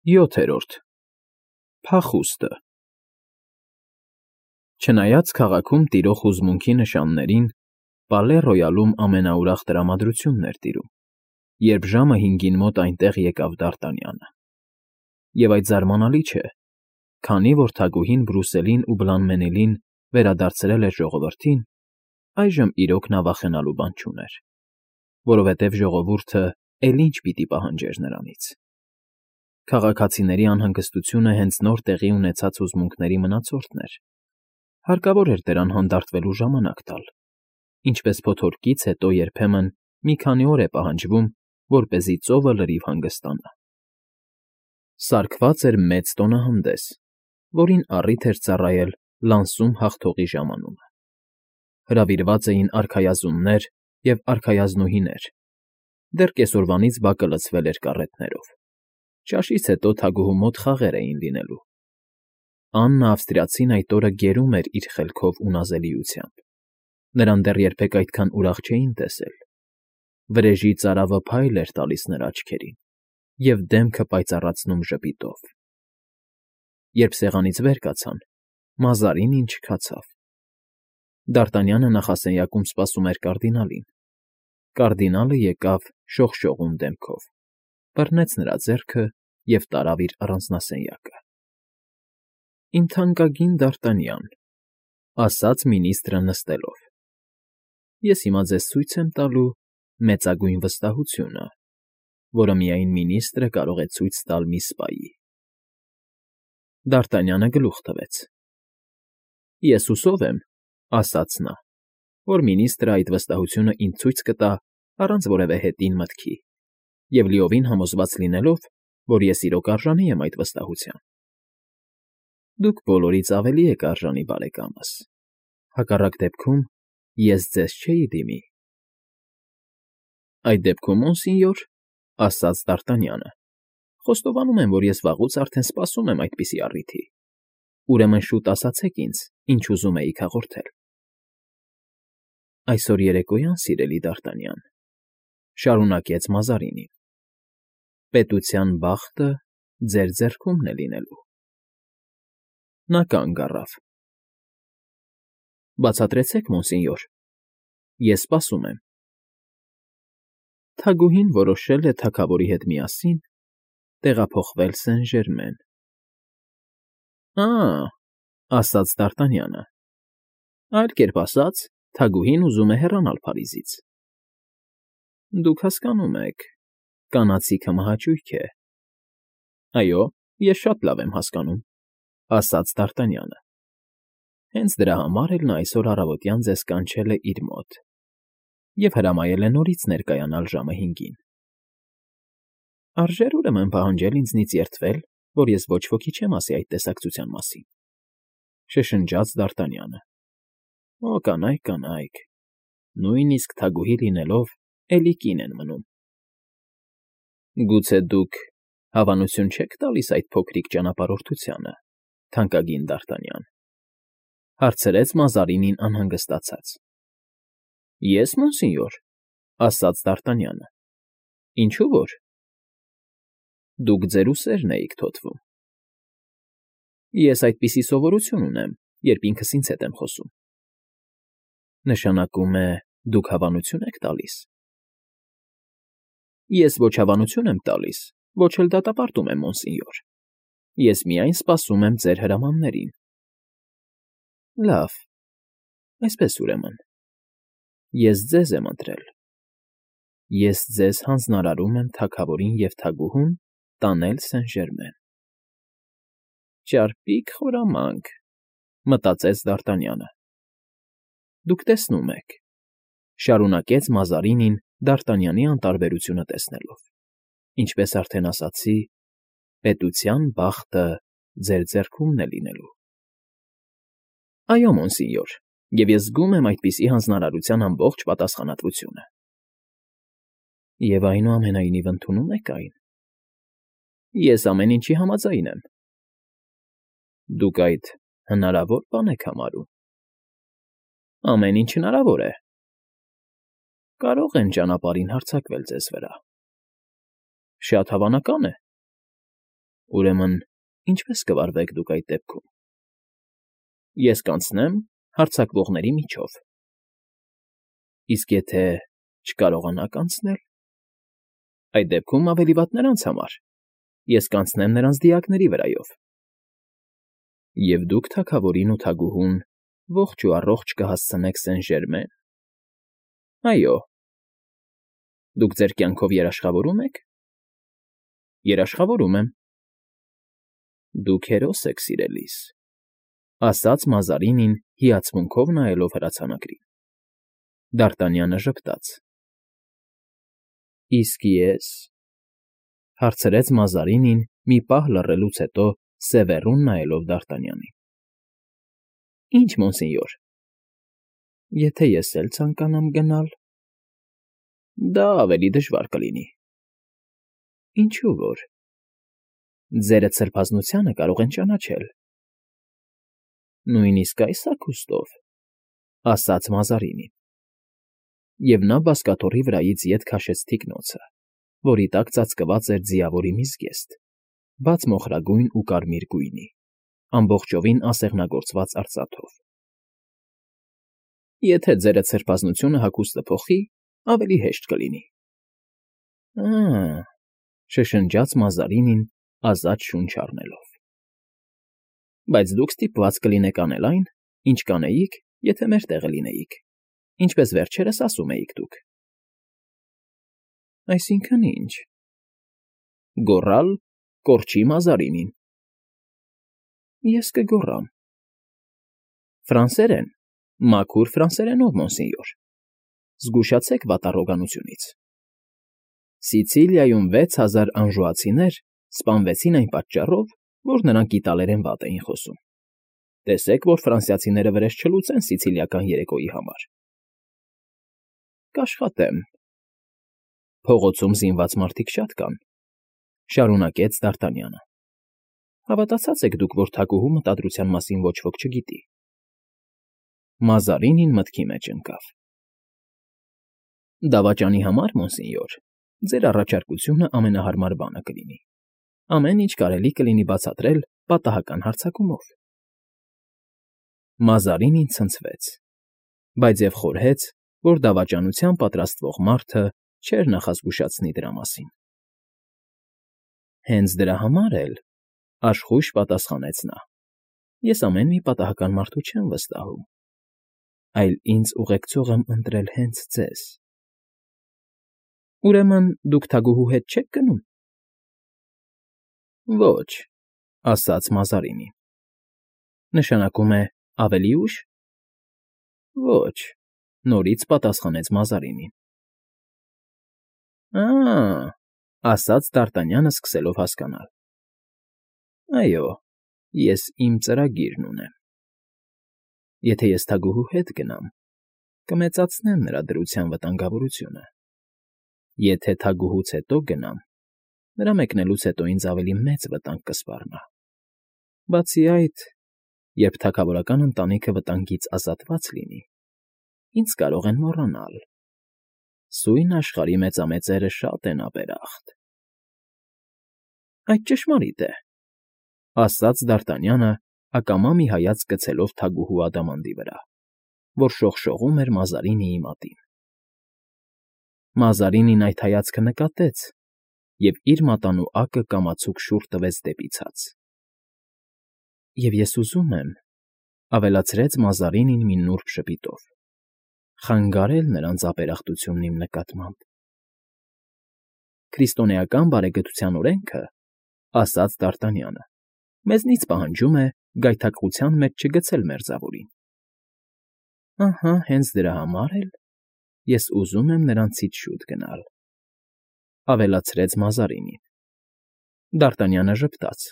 7. Փախուստը Չնայած քաղաքում տիրող հուզմունքի նշաններին, Պալե Ռոյալում ամենաուրախ տրամադրությունն էր տիրում, երբ ժամը 5-ին մոտ այնտեղ եկավ Դ'Արտանյանը։ Եվ այդ զարմանալի չէ, քանի որ թագուհին Բրուսելին ու Բլանմենիլին վերադարձրել էր ժողովրդին, այժմ իրոք նա վախենալու բան չուներ, որովհետև ժողովուրդը էլ ինչ պիտի պահանջեր նրանից։ Քաղաքացիների անհանգստությունը հենց նոր տեղի ունեցած հուզմունքների մնացորդն էր, հարկավոր էր դրան հանդարտվելու ժամանակ տալ, ինչպես փոթորկից հետո երբեմն մի քանի օր է պահանջվում, որպեսզի ծովը լրիվ հանգստանա։ Սարքված էր մեծ տոնահանդես, որին առիթ էր ծառայել Լանսում հաղթողի ժամանումը։ Հրավիրված էին արքայազուններ և արքայազնուհիներ, դեռ կեսօրվանից բակը լցվել էր կառետներով։ Ճաշից հետո թագուհու մոտ խաղեր էին լինելու։ Աննա Ավստրիացին այդ օրը գերում էր իր խելքով ու նազելիությամբ։ Նրան դեռ երբեք այդքան ուրախ չէին տեսել։ Վրեժի ծարավը փայլ էր տալիս նրա աչքերին և դեմքը պայծառացնում ժպիտով։ Երբ սեղանից վեր կացան, Մազարինին չքացավ։ Դ'Արտանյանը նախասենյակում սպասում էր կարդինալին։ Կարդինալը եկավ շողշողուն դեմքով, բռնեց նրա ձեռքը և տարավ իր առանձնասենյակը։ ֊ Իմ թանկագին Դ'Արտանյան,֊ ասաց մինիստրը նստելով,֊ ես հիմա ձեզ ցույց եմ տալու մեծագույն վստահությունը, որը միայն մինիստրը կարող է ցույց տալ մի սպայի։ Դ'Արտանյանը գլուխ տվեց։ ֊ Ես հուսով եմ,֊ ասաց նա,֊ որ մինիստրը այդ վստահությունը ինձ ցույց կտա առանց որևէ հետին մտքի և լիովին համոզված լինելով, որ ես իրոք արժանի եմ այդ վստահության։ Դուք բոլորից ավելի եք արժանի, բարեկամս, հակառակ դեպքում ես ձեզ չէի դիմի։ ֊ Այդ դեպքում, մոնսինյոր,֊ ասաց Դ'Արտանյանը,֊ խոստովանում եմ, որ ես վաղուց արդեն սպասում եմ այդպիսի առիթի։ Ուրեմն շուտ ասացեք ինձ, ինչ ուզում էիք հաղորդել։ ֊ Այսօր երեկոյան, սիրելի Դ'Արտանյան,֊ շարունակեց Մազարինին,֊ պետության բախտը ձեր ձեռքումն է լինելու։ Նա կանգ առավ։ ֊ Բացատրեցեք, մոնսինյոր, ես սպասում եմ։ Թագուհին որոշել է թագավորի հետ միասին տեղափոխվել Սեն֊Ժերմեն։ ֊ ասաց Դ'Արտանյանը,֊ այլ կերպ ասած, թագուհին ուզում է հեռանալ Փարիզից։ ֊ Դուք հասկանում եք, կանացիքը մահաճույք է։ ֊ Այո, ես շատ լավ եմ հասկանում,֊ ասաց Դ'Արտանյանը։ Հենց դրա համար էլ նա այսօր առավոտյան ձեզ կանչել է իր մոտ և հրամայել է նորից ներկայանալ ժամը 5-ին։ Արժե՞ր ուրեմն պահանջել ինձնից երդվել, որ ես ոչ ոքի չեմ ասի այդ տեսակցության մասին,֊ շշնջաց Դ'Արտանյանը։ ֊ Օ, կանայք, կանայք, նույնիսկ թագուհի լինելով, էլի կին են մնում։ ֊ Գուցե դուք հավանություն չեք տալիս այդ փոքրիկ ճանապարհորդությանը, թանկագին Դ'Արտանյան,֊ հարցրեց Մազարինին անհանգստացած։ ֊ Ես, մոնսինյոր,֊ ասաց Դ'Արտանյանը,֊ ինչու որ։ Դուք ձեր ուսերն էիք թոթվում։ ֊ Ես այդպիսի սովորություն ունեմ, երբ ինքս ինձ հետ եմ խոսում։ ֊ Նշանակում է, դուք հավանություն եք տալիս։ ֊ Ես ոչ հավանություն եմ տալիս, ոչ էլ դատապարտում եմ, մոնսինյոր, ես միայն սպասում եմ ձեր հրամաններին։ ֊ Լավ, այսպես ուրեմն, ես ձեզ եմ ընտրել։ Ես ձեզ հանձնարարում եմ թագավորին և թագուհուն տանել Սեն֊Ժերմեն։ Ճարպիկ խորամանկ,֊ մտածեց Դ'Արտանյանը։ Դուք տեսնում եք,֊ շարունակեց Մազարինին Դ'Արտանյանի անտարբերությունը տեսնելով, ինչպես արդեն ասացի, պետության բախտը ձեր ձեռքումն է լինելու։ ֊ Այո, մոնսինյոր, և ես զգում եմ այդպիսի հանձնարարության ամբողջ պատասխանատվությունը։ ֊ Եվ այնուամենայնիվ ընդունում եք այն։ ֊ Ես ամեն ինչի համաձայն եմ։ ֊ Դուք այդ հնարավոր բան եք համարում։ ֊ Ամեն ինչ հնարավոր է։ ֊ Կարող են ճանապարհին հարձակվել ձեզ վրա։ ֊ Շատ հավանական է։ Ուրեմն, ինչպե՞ս կվարվեք դուք այդ դեպքում։ Ես կանցնեմ հարձակվողների միջով։ Իսկ եթե չկարողանաք անցնել, այդ դեպքում ավելի վատ նրանց համար։ Ես կանցնեմ նրանց դիակների վրայով։ Եվ դուք թագավորին ու թագուհուն ողջ ու առողջ կհասցնեք Սեն֊Ժերմեն։ Այո։ Դուք ձեր կյանքով երաշխավորո՞ւմ եք։ Երաշխավորում եմ։ Դուք հերոս եք, սիրելիս, ասաց Մազարինին հիացմունքով նայելով հրացանակրին։ Դարտանյանը ժպտաց։ Իսկ ես, հարցրեց Մազարինին մի պահ լռելուց հետո սևեռուն նայելով Դարտանյանին։ Ինչ, մոնսենյոր։ Եթե ես էլ ցանկանամ գնալ, դա ավելի դժվար կլինի։ Ինչու որ։ Ձերդ սրբազնությանը կարող են ճանաչել։ Նույնիսկ այս հագուստով, ասաց Մազարինին։ Եվ նա բազկաթոռի վրայից ետ քաշեց թիկնոցը, որի տակ ծածկված էր ձիավորի մի զգեստ, բաց մոխրագույն ու կարմիր գույնի, ամբողջովին ասեղնագործված արծաթով։ Եթե ձերդ սրբազնությունը հագուստը փոխի, ավելի հեշտ կլինի։ Շշնջաց Մազարինին ազատ շունչ առնելով։ Բայց դուք ստիպված կլինեք անել այն, ինչ կանեիք, եթե մեր տեղը լինեիք, ինչպես վերջերս ասում էիք դուք։ Այսինքն ինչ։ Գոռալ կորչի Մազարինին։ Ես կգոռամ։ Ֆրանսերեն, մաքուր ֆրանսերենով, մոնսենյոր։ Զգուշացեք վատառոգանությունից։ Սիցիլիայում 6000 անժուացիներ սպանվեցին այն պատճառով, որ նրանք իտալերեն վատ էին խոսում։ Տեսեք, որ ֆրանսիացիները վրեժ չլուծեն սիցիլիական երեկոյի համար։ Կաշխատեմ։ Փողոցում զինված մարդիկ շատ կան, շարունակեց Դարտանյանը։ Հավատացած եք դուք, որ թագուհու մտադրության մասին ոչ ոք չգիտի։ Մազարինին մտքի մեջ ընկավ։ Դավաճանի համար, մոնսենյոր, ձեր առաջարկությունը ամենահարմար բանը կլինի։ Ամեն ինչ կարելի կլինի բացատրել պատահական հարձակումով։ Մազարինին ցնցվեց, բայց և խորհեց, որ դավաճանության պատրաստվող մարդը չէր նախազգուշացնի դրա մասին։ Հենց դրա համար էլ, աշխույժ պատասխանեց նա, ես ամեն մի պատահական մարդու չեմ վստահում, այլ ինձ ուղեկցող եմ ընտրել հենց ձեզ։ Ուրեմն դուք թագուհու հետ չեք գնում։ Ոչ, ասաց Մազարինին։ Նշանակում է ավելի ուշ։ Ոչ, նորից պատասխանեց Մազարինին։ Ասաց Դարտանյանը սկսելով հասկանալ։ Այո, ես իմ ծրագիրն ունեմ։ Եթե ես թագուհու հետ գնամ, կմեծացնեմ նրա դրության վտանգավորությունը։ Եթե թագուհուց հետո գնամ, նրա մեկնելուց հետո ինձ ավելի մեծ վտանգ կսպառնա։ Բացի այդ, երբ թագավորական ընտանիքը վտանգից ազատված լինի, ինձ կարող են մոռանալ։ Սույն աշխարհի մեծամեծերը շատ են ապերախտ։ Այդ ճշմարիտ է, ասաց Դարտանյանը, ակամա մի հայացք գցելով թագուհու ադամանդի վրա, որ շողշողում էր Մազարինիի մատին։ Մազարինին այդ հայացքը նկատեց և իր մատանու ակը կամացուկ շուռ տվեց դեպի ցած։ Եվ ես ուզում եմ, ավելացրեց Մազարինին մի նուրբ ժպիտով, խանգարել նրանց ապերախտությունն իմ նկատմամբ։ Քրիստոնեական բարեգթության օրենքը, ասաց Դարտանյանը, մեզնից պահանջում է գայթակղության մեջ չգցել մերձավորին։ Ահա, հենց դրա համար էլ ես ուզում եմ նրանցից շուտ գնալ, ավելացրեց Մազարինին։ Դարտանյանը ժպտաց։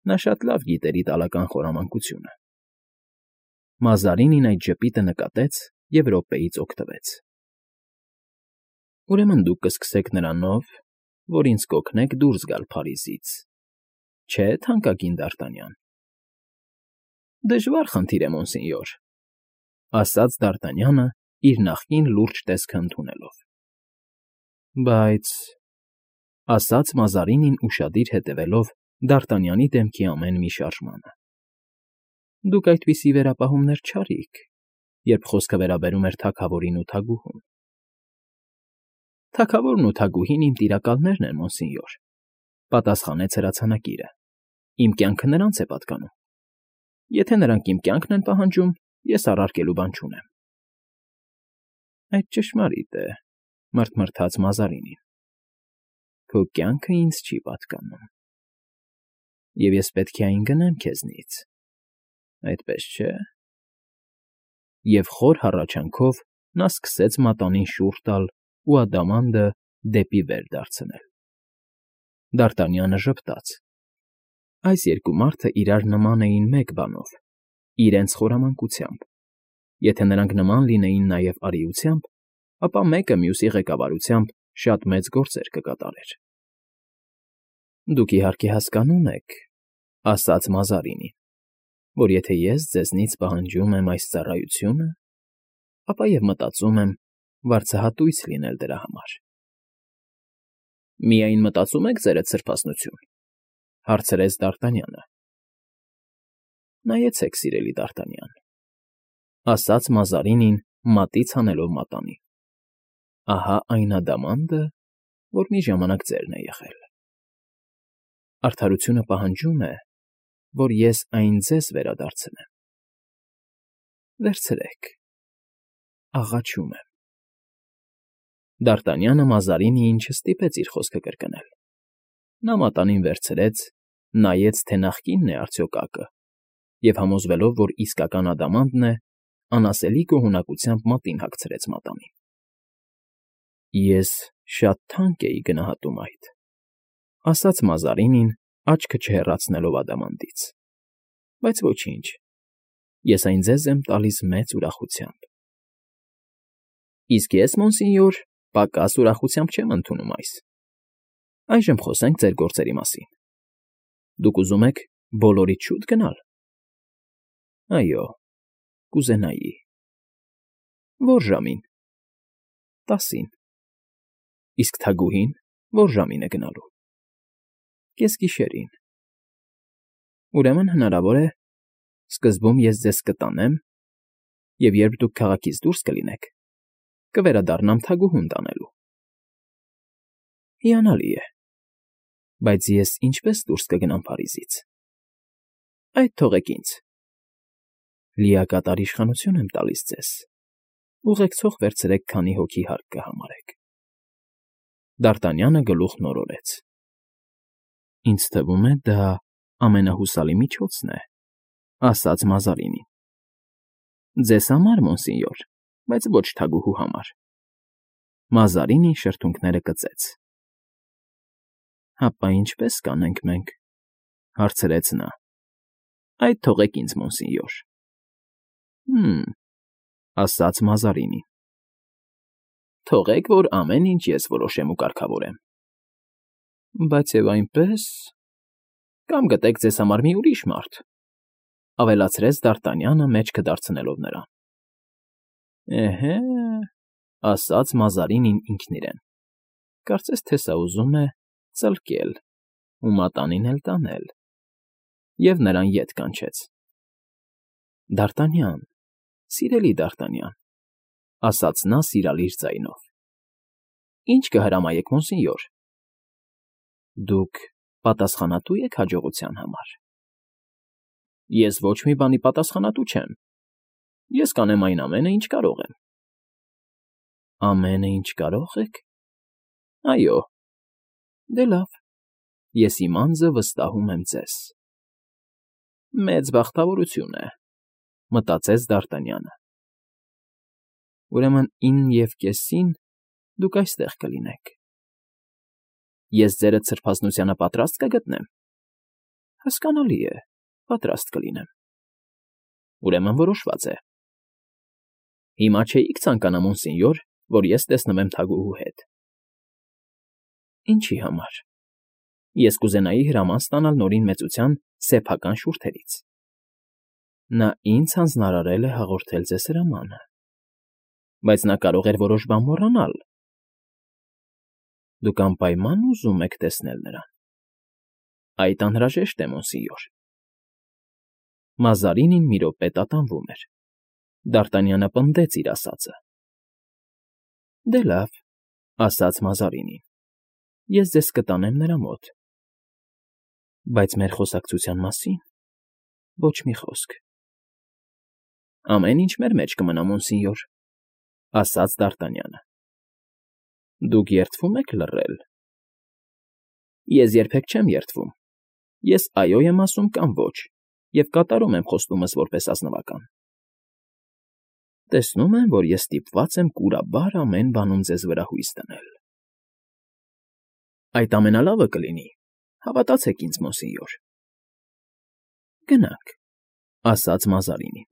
Նա շատ լավ գիտեր իտալական խորամանկությունը։ Մազարինին այդ ժպիտը նկատեց և րոպեից օգտվեց։ Ուրեմն դուք կսկսեք նրանով, որ ինձ կօգնեք դուրս գալ Փարիզից, չէ՞, թանկագին Դարտանյան։ Դժվար խնդիր է, մոնսենյոր, ասաց Դարտանյանը, իր նախկին լուրջ տեսքը ընդունելով։ Բայց, ասաց Մազարինին ուշադիր հետևելով Դ'Արտանյանի դեմքի ամեն մի շարժմանը։ Դուք այդպիսի վերապահումներ չարիք, երբ խոսքը վերաբերում էր թագավորին ու թագուհուն։ Թագավորն ու թագուհին իմ տիրակալներն են, մոնսինյոր, պատասխանեց հրացանակիրը։ Իմ կյանքը նրանց է պատկանում։ Եթե նրանք իմ կյանքն են պահանջում, ես առարկելու բան չունեմ։ Այդ ճշմարիտ է, մռթմռթաց Մազարինին։ Քո կյանքը ինձ չի պատկանում։ Եվ ես պետք է այն գնեմ քեզնից, այդպես չէ՞։ Եվ խոր հառաչանքով նա սկսեց մատանին շուռ տալ ու ադամանդը դեպի վեր դարձնել։ Դ'Արտանյանը ժպտաց։ Այս երկու մարդը իրար նման էին մեկ բանով՝ իրենց խորամանկությամբ։ Եթե նրանք նման լինեին նաև արիությամբ, ապա մեկը մյուսի ղեկավարությամբ շատ մեծ գործեր կկատարեր։ Դուք իհարկե հասկանում եք, ասաց Մազարինին, որ եթե ես ձեզնից պահանջում եմ այս ծառայությունը, ապա և մտածում եմ վարձահատույց լինել դրա համար։ Միայն մտածում եք, ձերդ սրբասնություն, հարցրեց Դ'Արտանյանը։ Նայեցեք, սիրելի Դ'Արտանյան, ասաց Մազարինին, մատից հանելով մատանին։ Ահա այն ադամանդը, որ մի ժամանակ ձերն է եղել։ Արդարությունը պահանջում է, որ ես այն ձեզ վերադարձնեմ։ Վերցրեք, աղաչում եմ։ Դ'Արտանյանը Մազարինիին չստիպեց իր խոսքը կրկնել։ Նա մատանին վերցրեց, նայեց, թե նախկինն է արդյոք ակը, և համոզվելով, որ իսկական ադամանդն է, անասելի գոհունակությամբ մատին հագցրեց մատանին։ Ես շատ թանկ էի գնահատում այդ, ասաց Մազարինին, աչքը չհեռացնելով ադամանդից, բայց ոչինչ, ես այն ձեզ եմ տալիս մեծ ուրախությամբ։ Իսկ ես, մոնսինյոր, պակաս ուրախությամբ չեմ ընդունում այս։ Այժմ խոսենք ձեր գործերի մասին։ Դուք ուզում եք բոլորից շուտ գնալ։ Այո, կուզենայի։ Ո՞ր ժամին։ 10-ին։ Իսկ թագուհին ո՞ր ժամին է գնալու։ Կեսգիշերին։ Ուրեմն հնարավոր է, սկզբում ես ձեզ կտանեմ, և երբ դուք քաղաքից դուրս կլինեք, կվերադառնամ թագուհուն տանելու։ Հիանալի է, բայց ես ինչպե՞ս դուրս կգնամ Փարիզից։ Այդ թողեք ինձ։ Լիակատար իշխանություն եմ տալիս ձեզ։ Ուղեկցող վերցրեք, քանի հոգի հարկ կհամարեք։ Դ'Արտանյանը գլուխն օրորեց։ Ինձ թվում է, դա ամենահուսալի միջոցն է, ասաց Մազարինին։ Ձեզ համար, մոնսինյոր, բայց ոչ թագուհու համար։ Մազարինին շրթունքները կծեց։ Հապա ինչպե՞ս կանենք մենք, հարցրեց նա։ Այդ թողեք ինձ, մոնսինյոր։ Ասաց Մազարինին։ Թողեք, որ ամեն ինչ ես որոշեմ ու կարգավորեմ։ Բայց և այնպես… Կամ գտեք ձեզ համար մի ուրիշ մարդ, ավելացրեց Դ'Արտանյանը մեջքը դարձնելով նրան։ Էհե, ասաց Մազարինին ինքն իրեն, կարծես թե սա ուզում է ծլկել ու մատանին էլ տանել, և նրան ետ կանչեց։ Դ'Արտանյան, սիրելի Դ'Արտանյան, ասաց նա սիրալիր ձայնով։ Ինչ կհրամայեք, մոնսինյոր։ Դուք պատասխանատու եք հաջողության համար։ Ես ոչ մի բանի պատասխանատու չեմ։ Ես կանեմ այն ամենը, ինչ կարող եմ։ Ամենը, ինչ կարող եք։ Այո։ Դե լավ, ես իմ անձը վստահում եմ ձեզ։ Մեծ բախտավորություն է, մտածեց Դ'Արտանյանը։ Ուրեմն 9:30-ին դուք այստեղ կլինեք։ Ես ձերդ սրբազնությանը պատրաստ կգտնեմ։ Հասկանալի է, պատրաստ կլինեմ։ Ուրեմն որոշված է։ Հիմա չէիք ցանկանա, մոնսինյոր, որ ես տեսնվեմ թագուհու հետ։ Ինչի համար։ Ես կուզենայի հրաման ստանալ նորին մեծության սեփական շուրթերից։ Նա ինձ հանձնարարել է հաղորդել ձեզ հրամանը, բայց նա կարող էր որոշ բան մոռանալ։ Դուք անպայման ուզում եք տեսնել նրան։ Այդ անհրաժեշտ է, մոնսինյոր։ Մազարինին մի րոպե տատանվում էր։ Դ'Արտանյանը պնդեց իր ասածը։ ֊ Դե լավ,֊ ասաց Մազարինին,֊ ես ձեզ կտանեմ նրա մոտ։ Բայց մեր խոսակցության մասին ոչ մի խոսք։ ֊ Ամեն ինչ մեր մեջ կմնա, մոնսինյոր,֊ ասաց Դ'Արտանյանը։ ֊ Դուք երդվում եք լռել։ ֊ Ես երբեք չեմ երդվում։ Ես այո եմ ասում կամ ոչ և կատարում եմ խոստումս որպես ազնվական։ ֊ Տեսնում եմ, որ ես ստիպված եմ կուրաբար ամեն բանում ձեզ վրա հույս դնել։ ֊ Այդ ամենալավը կլինի, հավատացեք ինձ, մոնսինյոր։ ֊ Գնանք,֊ ասաց Մազարինին։